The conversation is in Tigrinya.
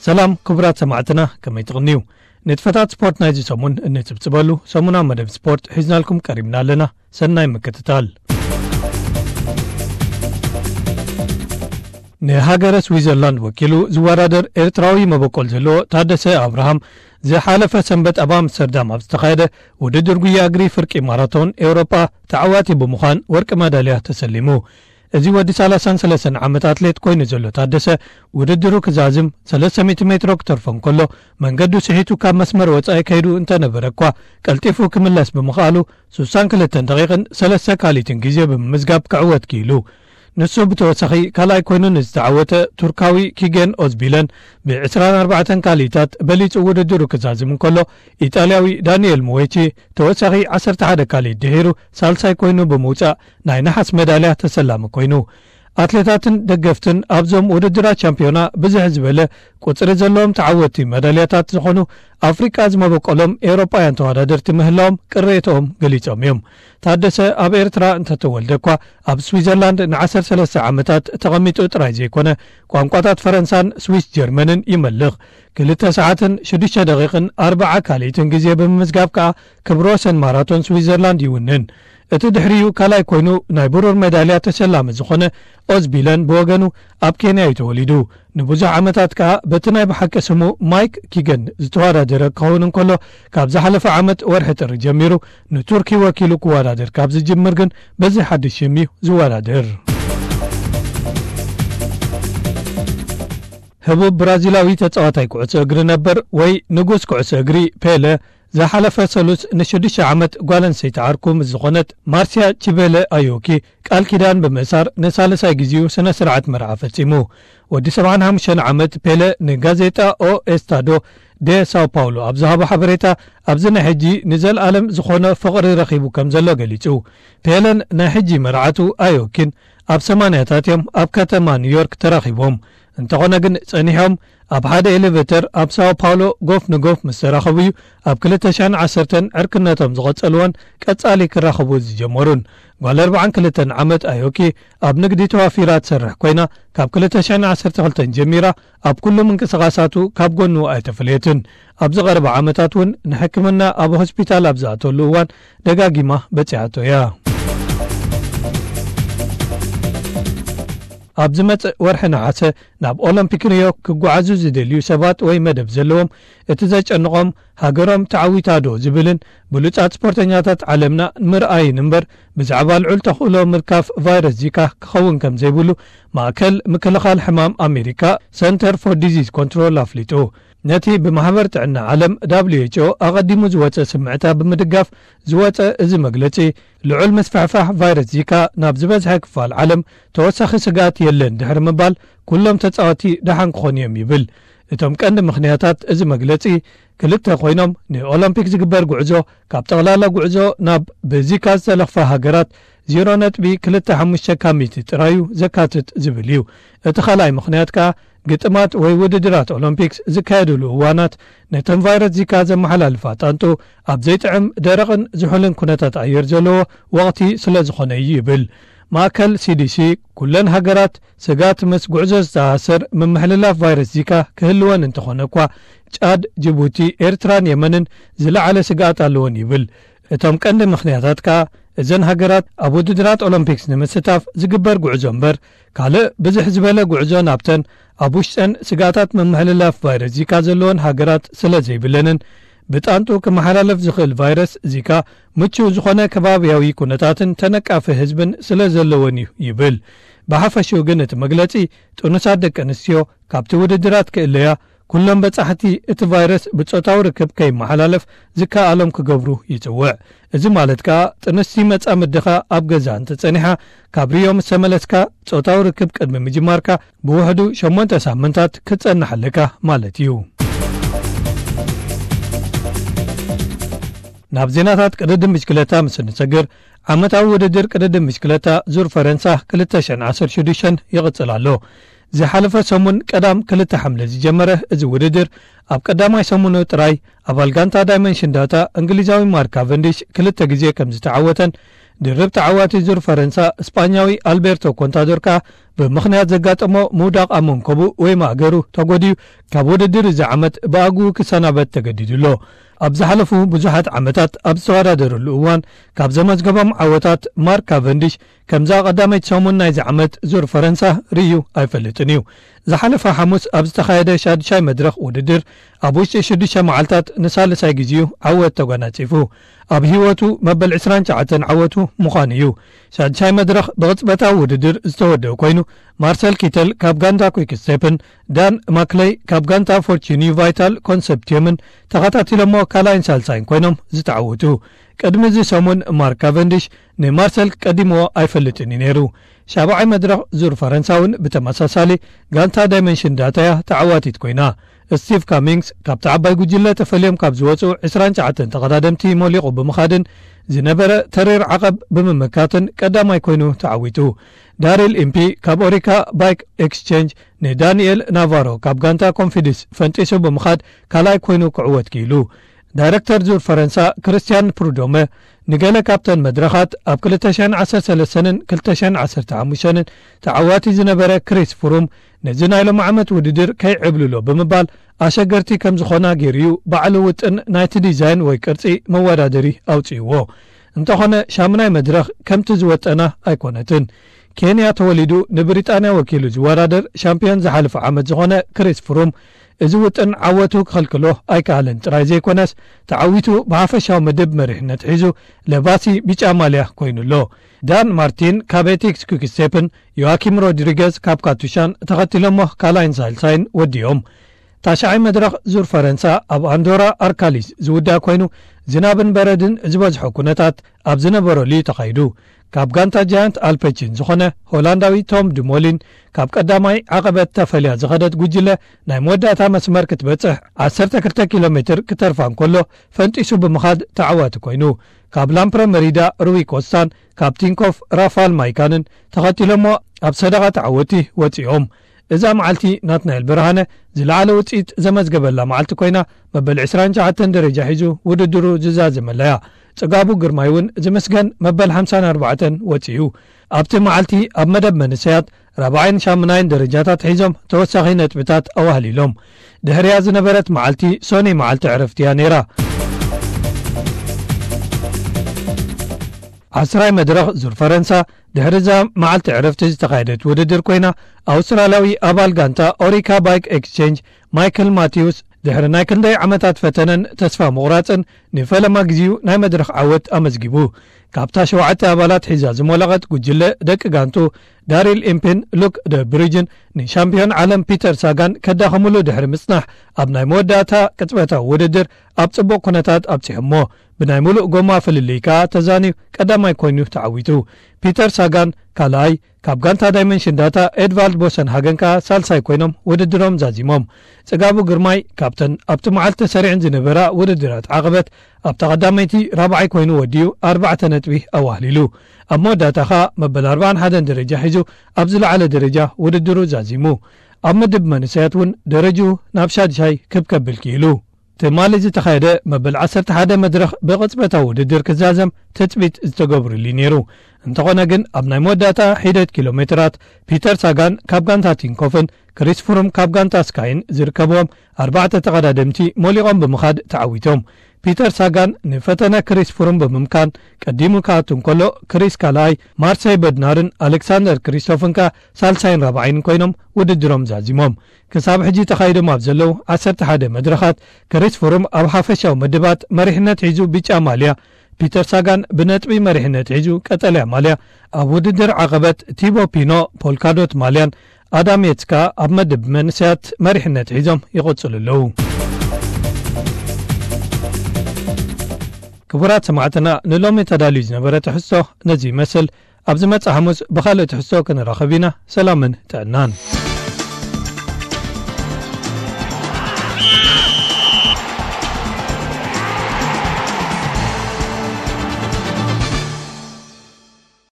ሰላም ክቡራት ሰማዕትና፣ ከመይ ትቕንዩ? ንጥፈታት ስፖርት ናይዚ ሰሙን እንጽብጽበሉ ሰሙናዊ መደብ ስፖርት ሒዝናልኩም ቀሪብና ኣለና። ሰናይ ምክትታል። ንሃገረ ስዊዘርላንድ ወኪሉ ዝወዳደር ኤርትራዊ መበቆል ዘለዎ ታደሰ ኣብርሃም፣ ዝሓለፈ ሰንበት ኣብ ኣምስተርዳም ኣብ ዝተኻየደ ውድድር ጉያ እግሪ ፍርቂ ማራቶን ኤውሮጳ ተዓዋቲ ብምዃን ወርቂ መዳልያ ተሰሊሙ። እዚ ወዲ ሰላሳን ሰለስተን ዓመት ኣትሌት ኮይኑ ዘሎ ታደሰ፣ ውድድሩ ክዛዝም ሰለስተ ሚእቲ ሜትሮ ክተርፎ እንከሎ፣ መንገዱ ስሒቱ ካብ መስመር ወጻኢ ከይዱ እንተነበረ እኳ፣ ቀልጢፉ ክምለስ ብምኽኣሉ፣ ሱሳን ክልተን ደቂቕን ሰለስተ ካልኢትን ግዜ ብምምዝጋብ ክዕወት ክኢሉ። ንሱ ብተወሳኺ ካልኣይ ኮይኑ ንዝተዓወተ ቱርካዊ ኪገን ኦዝቢለን ብዕስራን ኣርባዕተን ካልኢታት በሊጹ ውድድሩ ክዛዝም እንከሎ፣ ኢጣልያዊ ዳንኤል ሙዌቺ ተወሳኺ ዓሰርተ ሓደ ካልኢት ድሒሩ ሳልሳይ ኮይኑ ብምውጻእ ናይ ነሓስ መዳልያ ተሰላሚ ኮይኑ። ኣትሌታትን ደገፍትን ኣብዞም ውድድራት ቻምፒዮና ብዝሕ ዝበለ ቁጽሪ ዘለዎም ተዓወትቲ መዳልያታት ዝኾኑ ኣፍሪቃ ዝመበቆሎም ኤውሮጳውያን ተወዳደርቲ ምህላዎም ቅሬተኦም ገሊጾም እዮም። ታደሰ ኣብ ኤርትራ እንተተወልደ እኳ ኣብ ስዊዘርላንድ ንዓሰርተ ሰለስተ ዓመታት ተቐሚጡ ጥራይ ዘይኮነ ቋንቋታት ፈረንሳን ስዊስ ጀርመንን ይመልኽ። ክልተ ሰዓትን ሽዱሽተ ደቂቕን ኣርብዓ ካልኢትን ግዜ ብምምዝጋብ ከኣ ክብረ ወሰን ማራቶን ስዊዘርላንድ ይውንን። እቲ ድሕሪኡ ካልኣይ ኮይኑ ናይ ብሩር ሜዳልያ ተሸላሚ ዝኾነ ኦዝቢለን ብወገኑ ኣብ ኬንያ እዩ ተወሊዱ። ንብዙሕ ዓመታት ከኣ በቲ ናይ ብሓቂ ስሙ ማይክ ኪገን ዝተወዳደረ ክኸውን እንከሎ፣ ካብ ዝሓለፈ ዓመት ወርሒ ጥሪ ጀሚሩ ንቱርኪ ወኪሉ ክወዳደር ካብ ዝጅምር ግን በዚ ሓድሽ ሽም እዩ ዝወዳደር። ህቡብ ብራዚላዊ ተጻዋታይ ኩዕሶ እግሪ ነበር ወይ ንጉስ ኩዕሶ እግሪ ፔለ ዝሓለፈ ሰሉስ ንሽዱሽተ ዓመት ጓል ኣንስተይቲ ዓርኩ ምስ ዝኾነት ማርስያ ቺቤለ ኣዮኪ ቃል ኪዳን ብምእሳር ንሳልሳይ ግዜኡ ስነ ስርዓት መርዓ ፈጺሙ። ወዲ ሰብዓን ሓሙሽተን ዓመት ፔለ ንጋዜጣ ኦ ኤስታዶ ዴ ሳው ፓውሎ ኣብ ዝሃቦ ሓበሬታ፣ ኣብዚ ናይ ሕጂ ንዘለኣለም ዝኾነ ፍቕሪ ረኺቡ ከም ዘሎ ገሊጹ። ፔለን ናይ ሕጂ መርዓቱ ኣዮኪን ኣብ ሰማንያታት እዮም ኣብ ከተማ ኒውዮርክ ተራኺቦም። እንተኾነ ግን ጸኒሖም ኣብ ሓደ ኤሌቬተር ኣብ ሳኦ ፓውሎ ጎፍ ንጎፍ ምስ ተራኸቡ እዩ ኣብ ክልተ ሽሕን ዓሰርተን ዕርክነቶም ዝቐጸልዎን ቀጻሊ ክራኸቡ ዝጀመሩን። ጓል ኣርብዓን ክልተን ዓመት ኣዮኪ ኣብ ንግዲ ተዋፊራ ትሰርሕ ኮይና፣ ካብ ክልተ ሽሕን ዓሰርተ ክልተን ጀሚራ ኣብ ኩሉ ምንቅስቓሳቱ ካብ ጎኑ ኣይተፈለየትን። ኣብዚ ቀረባ ዓመታት እውን ንሕክምና ኣብ ሆስፒታል ኣብ ዝኣተሉ እዋን ደጋጊማ በጺሓቶ እያ። ኣብ ዝመጽእ ወርሒ ነሓሰ ናብ ኦሎምፒክ ሪዮ ክጓዓዙ ዝደልዩ ሰባት ወይ መደብ ዘለዎም፣ እቲ ዘጨንቖም ሃገሮም ተዓዊታ ዶ ዝብልን ብሉጻት ስፖርተኛታት ዓለምና ምርኣይን እምበር፣ ብዛዕባ ልዑል ተኽእሎ ምልካፍ ቫይረስ ዚካ ክኸውን ከም ዘይብሉ ማእከል ምክልኻል ሕማም ኣሜሪካ፣ ሰንተር ፎር ዲዚዝ ኮንትሮል፣ ኣፍሊጡ። ነቲ ብማሕበር ጥዕና ዓለም፣ ደብሊው ኤች ኦ፣ ኣቐዲሙ ዝወጸ ስምዕታ ብምድጋፍ ዝወጸ እዚ መግለጺ፣ ልዑል ምስፍሕፋሕ ቫይረስ ዚካ ናብ ዝበዝሐ ክፋል ዓለም ተወሳኺ ስግኣት የለን ድሕሪ ምባል፣ ኩሎም ተጻወቲ ደሓን ክኾኑ እዮም ይብል። እቶም ቀንዲ ምኽንያታት እዚ መግለጺ ክልተ ኮይኖም፣ ንኦሎምፒክ ዝግበር ጉዕዞ ካብ ጠቕላላ ጉዕዞ ናብ ብዚካ ዝተለኽፋ ሃገራት ዜሮ ነጥቢ ክልተ ሓሙሽተ ካብ ሚእቲ ጥራዩ ዘካትት ዝብል እዩ። እቲ ካልኣይ ምኽንያት ከኣ ግጥማት ወይ ውድድራት ኦሎምፒክስ ዝካየድሉ እዋናት ነተን ቫይረስ ዚካ ዘመሓላልፋ ጣንጡ ኣብ ዘይጥዕም ደረቕን ዝሑልን ኩነታት ኣየር ዘለዎ ወቕቲ ስለ ዝኾነ እዩ ይብል። ማእከል ሲ ዲ ሲ ኩለን ሃገራት ስግኣት ምስ ጉዕዞ ዝተኣሳሰር ምምሕልላፍ ቫይረስ ዚካ ክህልወን እንተኾነ እኳ፣ ጫድ፣ ጅቡቲ፣ ኤርትራን የመንን ዝለዓለ ስግኣት ኣለወን ይብል። እቶም ቀንዲ ምኽንያታት ከኣ እዘን ሃገራት ኣብ ውድድራት ኦሎምፒክስ ንምስታፍ ዝግበር ጉዕዞ እምበር፣ ካልእ ብዝሕ ዝበለ ጉዕዞ ናብተን ኣብ ውሽጠን ስግኣታት ምምሕልላፍ ቫይረስ ዚካ ዘለወን ሃገራት ስለ ዘይብለንን፣ ብጣንጡ ክመሓላለፍ ዝኽእል ቫይረስ ዚካ ምቹእ ዝኾነ ከባብያዊ ኩነታትን ተነቃፊ ህዝብን ስለ ዘለወን እዩ ይብል። ብሓፈሽኡ ግን እቲ መግለጺ ጥኑሳት ደቂ ኣንስትዮ ካብቲ ውድድራት ክእለያ፣ ኩሎም በጻሕቲ እቲ ቫይረስ ብጾታዊ ርክብ ከይመሓላለፍ ዝከኣሎም ክገብሩ ይጽውዕ። እዚ ማለት ከኣ ጥንስቲ መጻምድኻ ኣብ ገዛ እንተጸኒሓ፣ ካብ ሪዮ ምስ ተመለስካ ጾታዊ ርክብ ቅድሚ ምጅማርካ ብውሕዱ ሸሞንተ ሳምንታት ክትጸንሕ ኣለካ ማለት እዩ። ናብ ዜናታት ቅድድም ብሽክለታ ምስ እንሰግር፣ ዓመታዊ ውድድር ቅድድም ብሽክለታ ዙር ፈረንሳ ክልተ ሽሕን ዓሰርተ ሽዱሽተን ይቕጽል ኣሎ። ዝሓለፈ ሰሙን ቀዳም ክልተ ሓምለ ዝጀመረ እዚ ውድድር፣ ኣብ ቀዳማይ ሰሙኑ ጥራይ ኣባል ጋንታ ዳይመንሽን ዳታ እንግሊዛዊ ማርክ ካቨንዲሽ ክልተ ግዜ ከም ዝተዓወተን፣ ድርብ ተዓዋቲ ዙር ፈረንሳ ስጳኛዊ ኣልቤርቶ ኮንታዶር ከኣ ብምኽንያት ዘጋጠሞ ምውዳቕ ኣብ መንከቡ ወይ ማእገሩ ተጎድዩ ካብ ውድድር እዚ ዓመት ብኣግኡ ክሰናበት ተገዲዱ ኣሎ። ኣብ ዝሓለፉ ብዙሓት ዓመታት ኣብ ዝተወዳደረሉ እዋን ካብ ዘመዝገቦም ዓወታት ማርክ ካቨንዲሽ ከምዛ ቀዳመይቲ ሰሙን ናይዚ ዓመት ዙር ፈረንሳ ርእዩ ኣይፈልጥን እዩ። ዝሓለፈ ሓሙስ ኣብ ዝተኻየደ ሻድሻይ መድረኽ ውድድር ኣብ ውሽጢ ሽዱሽተ መዓልታት ንሳልሳይ ግዜኡ ዓወት ተጓናጺፉ። ኣብ ህይወቱ መበል ዕስራን ትሽዓተን ዓወቱ ምዃኑ እዩ። ሻድሻይ መድረኽ ብቕጽበታዊ ውድድር ዝተወደኡ ኮይኑ፣ ማርሰል ኪተል ካብ ጋንታ ኩይክ ስቴፕን ዳን ማክለይ ካብ ጋንታ ፎርቹኒ ቫይታል ኮንሰፕቲየምን ተኸታቲሎሞ ካልኣይን ሳልሳይን ኮይኖም ዝተዓወቱ። ቅድሚ እዚ ሰሙን ማርክ ካቨንዲሽ ንማርሰል ቀዲምዎ ኣይፈልጥን እዩ ነይሩ። ሻብዓይ መድረኽ ዙር ፈረንሳ እውን ብተመሳሳሊ ጋንታ ዳይመንሽን ዳታ እያ ተዓዋቲት ኮይና። ስቲቭ ካሚንግስ ካብቲ ዓባይ ጉጅለ ተፈልዮም ካብ ዝወፁ ዕስራን ትሽዓተን ተቐዳደምቲ ሞሊቑ ብምኻድን ዝነበረ ተሪር ዓቐብ ብምምካትን ቀዳማይ ኮይኑ ተዓዊቱ። ዳሪል ኢምፒ ካብ ኦሪካ ባይክ ኤክስቼንጅ ንዳንኤል ናቫሮ ካብ ጋንታ ኮንፊድስ ፈንጢሱ ብምኻድ ካልኣይ ኮይኑ ክዕወት ክኢሉ። ዳይረክተር ዙር ፈረንሳ ክርስቲያን ፕሩዶመ ንገለ ካብተን መድረኻት ኣብ ክልተ ሽሕን ዓሰርተ ሰለስተን ክልተ ሽሕን ዓሰርተ ሓሙሽተን ተዓዋቲ ዝነበረ ክሪስ ፍሩም ነዚ ናይ ሎም ዓመት ውድድር ከይዕብልሎ ብምባል ኣሸገርቲ ከም ዝኾና ገይሩ እዩ ባዕሉ ውጥን ናይቲ ዲዛይን ወይ ቅርጺ መወዳደሪ ኣውጺእዎ። እንተኾነ ሻምናይ መድረኽ ከምቲ ዝወጠና ኣይኮነትን። ኬንያ ተወሊዱ ንብሪጣንያ ወኪሉ ዝወዳደር ሻምፒዮን ዝሓለፈ ዓመት ዝኾነ ክሪስ ፍሩም እዚ ውጥን ዓወቱ ክኸልክሎ ኣይከኣለን ጥራይ ዘይኮነስ ተዓዊቱ ብሓፈሻዊ ምድብ መሪሕነት ሒዙ ለባሲ ቢጫ ማልያ ኮይኑ ኣሎ። ዳን ማርቲን ካብ ኤቲክስ ኩክስቴፕን ዮዋኪም ሮድሪገዝ ካብ ካቱሻን ተኸቲሎሞ ካልኣይን ሳልሳይን ወዲኦም። ታሽዓይ መድረኽ ዙር ፈረንሳ ኣብ ኣንዶራ ኣርካሊስ ዝውዳእ ኮይኑ ዝናብን በረድን ዝበዝሖ ኩነታት ኣብ ዝነበረሉ እዩ ተኻይዱ። ካብ ጋንታ ጃያንት ኣልፐቺን ዝኾነ ሆላንዳዊ ቶም ድሞሊን ካብ ቀዳማይ ዓቐበት ተፈልያ ዝኸደት ጉጅለ ናይ መወዳእታ መስመር ክትበጽሕ ዓሰርተ ክልተ ኪሎ ሜትር ክተርፋ እንከሎ ፈንጢሱ ብምኻድ ተዓዋቲ ኮይኑ ካብ ላምፕረ መሪዳ ሩዊ ኮስታን ካብ ቲንኮፍ ራፋል ማይካንን ተኸቲሎሞ ኣብ ሰደቓ ተዓወቲ ወጺኦም። እዛ መዓልቲ ናትናኤል ብርሃነ ዝለዓለ ውጽኢት ዘመዝገበላ መዓልቲ ኮይና መበል ዕስራን ትሽዓተን ደረጃ ሒዙ ውድድሩ ዝዛዘመላ እያ። ጽጋቡ ግርማይ እውን ዝምስገን መበል ሓምሳን ኣርባዕተን ወጺኡ። ኣብቲ መዓልቲ ኣብ መደብ መንሰያት ራብዓይን ሻምናይን ደረጃታት ሒዞም ተወሳኺ ነጥብታት ኣዋህሊሎም። ድሕሪያ ዝነበረት መዓልቲ ሶኒ መዓልቲ ዕረፍቲ እያ ነይራ። ዓስራይ መድረኽ ዙር ፈረንሳ ድሕሪ እዛ መዓልቲ ዕረፍቲ ዝተኻየደት ውድድር ኮይና ኣውስትራልያዊ ኣባል ጋንታ ኦሪካ ባይክ ኤክስቼንጅ ማይክል ማቲውስ ድሕሪ ናይ ክንደይ ዓመታት ፈተነን ተስፋ ምቑራጽን ንፈለማ ግዜኡ ናይ መድረኽ ዓወት ኣመዝጊቡ። ካብታ ሸውዓተ ኣባላት ሒዛ ዝሞለቐት ጉጅለ ደቂ ጋንቱ ዳሪል ኢምፒን ሉክ ደ ብሪጅን ንሻምፒዮን ዓለም ፒተር ሳጋን ከዳኸምሉ ድሕሪ ምጽናሕ ኣብ ናይ መወዳእታ ቅጽበታዊ ውድድር ኣብ ጽቡቕ ኩነታት ኣብጺሖሞ። ብናይ ሙሉእ ጎማ ፍልልይ ከኣ ተዛንዩ ቀዳማይ ኮይኑ ተዓዊቱ። ፒተር ሳጋን ካልኣይ፣ ካብ ጋንታ ዳይመንሽን ዳታ ኤድቫልድ ቦሰን ሃገን ከኣ ሳልሳይ ኮይኖም ውድድሮም ዛዚሞም። ጽጋቡ ግርማይ ካብተን ኣብቲ መዓልቲ ተሰሪዐን ዝነበራ ውድድራት ዓቐበት ኣብታ ቀዳመይቲ ራብዓይ ኮይኑ ወዲኡ ኣርባዕተ ነጥቢ ኣዋህሊሉ። ኣብ መወዳእታ ከኣ መበል ኣርባዓን ሓደን ደረጃ ሒዙ ኣብ ዝለዓለ ደረጃ ውድድሩ ዛዚሙ። ኣብ ምድብ መንእሰያት እውን ደረጅኡ ናብ ሻድሻይ ክብ ከብል ክኢሉ። ትማሊ ዝተኻየደ መበል ዓሰርተ ሓደ መድረኽ ብቕጽበታዊ ውድድር ክዛዘም ትጽቢት ዝተገብሩሉ ነይሩ። እንተኾነ ግን ኣብ ናይ መወዳእታ ሒደት ኪሎ ሜትራት ፒተር ሳጋን ካብ ጋንታ ቲንኮፍን ክሪስ ፍሩም ካብ ጋንታ ስካይን ዝርከብዎም ኣርባዕተ ተቐዳደምቲ ሞሊቖም ብምኻድ ተዓዊቶም። ፒተር ሳጋን ንፈተነ ክሪስ ፍሩም ብምምካን ቀዲሙ ክኣቱ እንከሎ ክሪስ ካልኣይ፣ ማርሰይ በድናርን ኣሌክሳንደር ክሪስቶፍን ከኣ ሳልሳይን ራብዓይን ኮይኖም ውድድሮም ዛዚሞም። ክሳብ ሕጂ ተኻይዶም ኣብ ዘለዉ ዓሰርተ ሓደ መድረኻት ክሪስ ፍሩም ኣብ ሓፈሻዊ ምድባት መሪሕነት ሒዙ ብጫ ማልያ፣ ፒተር ሳጋን ብነጥቢ መሪሕነት ሒዙ ቀጠልያ ማልያ፣ ኣብ ውድድር ዓቐበት ቲቦ ፒኖ ፖልካዶት ማልያን ኣዳም የትስ ከኣ ኣብ መድብ መንእሰያት መሪሕነት ሒዞም ይቕጽሉ ኣለዉ። ክቡራት ሰማዕትና ንሎሚ ተዳልዩ ዝነበረ ትሕዝቶ ነዚ ይመስል። ኣብ ዝመጽእ ሓሙስ ብኻልእ ትሕዝቶ ክንራኸብ ኢና። ሰላምን ጥዕናን።